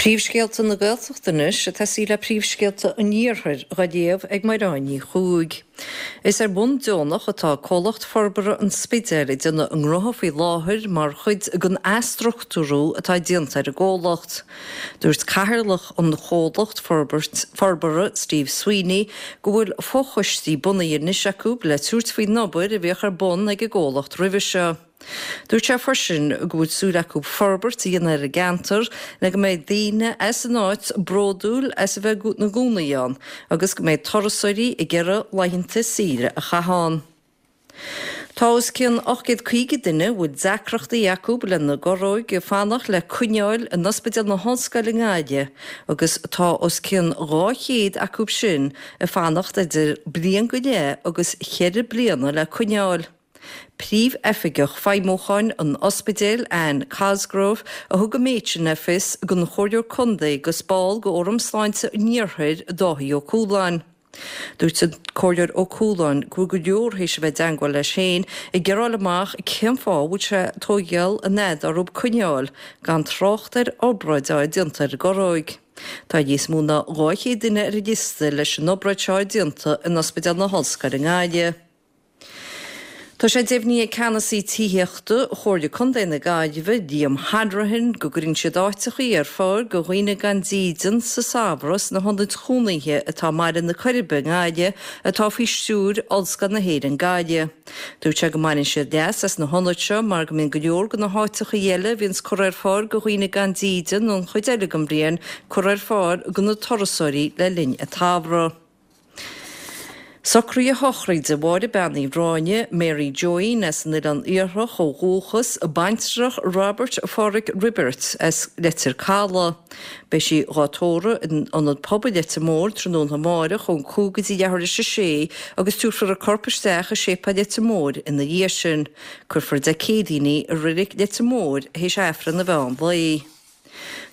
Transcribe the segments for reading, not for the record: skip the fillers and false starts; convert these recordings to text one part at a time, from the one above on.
Príomhscéalta na Gaeltachta anois ag tosaí le príomhscéalta an Iarthair dhá léamh ag Mairéad Ní Chuaig. Is ar bhonn deonach atá Comhlacht Forbartha an Spidéil ag déanamh a ngnótha faoi láthair mar chuid den athstruchtúrú atá déanta ar an gcomhlacht. Dúirt cathaoirleach an chomhlacht forbartha Steve Sweeney go bhfuil fochoistí bunaithe anois acu le tabhairt faoin obair a bhíodh ar bun ag an gcomhlacht roimhe seo. Dúirt sé freisin go bhfuil súil acu forbairt a dhéanamh ar an gceantar le go mbeidh daoine as an áit bródúil as a bheith ina gcónaí ann agus go mbeidh turasóirí ag iarraidh laethanta saoire a chaitheamh ann. Tá os cionn 850 duine a bhfuil deacrachtaí acu lena gcorróig ag fanacht le coinneáil in Ospidéal na hOllscoile i nGaillimh agus tá os cionn 200 acu sin ag fanacht idir bliain go leith agus cheithre bliana le coinneáil. Príomh-Oifigeach Feidhmiúcháin an Ospidéil, Anne Cosgrove, a thug an méid sin le fios don Chomhairleoir Contae agus ball de Fhóram Sláinte an Iarthair, Dáithí Ó Cualáin. Dúirt an Comhairleoir Ó Cualáin go bhfuil go leor théis a bheith i dteangmháil leis féin ag iarraidh a fháil amach cén fáth a bhfuil sé ag tóigeáil an fhad orthu coinneáil, gan trácht ar obráid a fháil déanta ar an gcorróig. Tá níos mó ná 200 duine ar an liosta leis an obráid seo a fháil déanta in Ospidéal na hOllscoile i nGaillimh. Tá sé deimhnithe ag ceannasaí tithíochta Chomhairle Contae na Gaillimhe, Liam Hanrahan, go gcuireann siad áiteachaí ar fáil do dhaoine gan dídean sa samhradh sna hionaid chónaithe atá i mBaile na Coiribe i nGaillimh atá faoi stiúir Ollscoil na hÉireann Gaillimh. Dúirt sé go mbaineann siad leas as na hionaid seo mar go mbíonn go leor de na háiteachaí eile a bhíonns curtha ar fáil do dhaoine gan dídean an chuid eile den bhliain curtha ar fáil do na turasóirí le linn an tsamhraidh. Socruithe sochraide Mháire Bean Uí Ráinne, Mary Joeín as an Oileán Iarthach ó dhúchas, baintreach Robert Pháraic Roibeairt as Leitir Calaidh. Beidh sí dhá tórramh in Ionad Pobail Leitir Móir tráthnóna amáireach ón 5 go dtí leathuair théis a sé agus tabharfar a corp isteach i Séipéal Leitir Móir ina dhiaidh sin. Cuirfear Dé Céadaoin í i Reilig Leitir Móir théis Aifreann an mheán lae.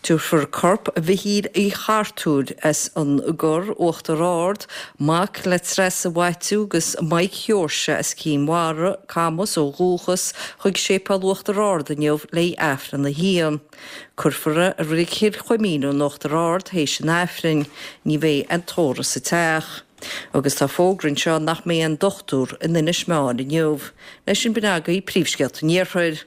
Tabharfar corp Mhichíl Uí Chartúir as an gCorr, Uachtar Ard, mac le Treasa Mhaitiú agus Mike Sheoirse as Cinn Mhara, Camas ó dhúchas, chuig Séipéal Uachtar Ard inniu le Aifreann a haon. Cuirfear é i Reilig Chill Chuimín in Uachtar Ard théis an Aifrinn. Ní bheidh aon tórramh sa teach. Agus tá fógra anseo nach mbeidh aon dochtúr in Inis Meáin inniu. Leis sin b'in agaibh príomhscéalta an Iarthair.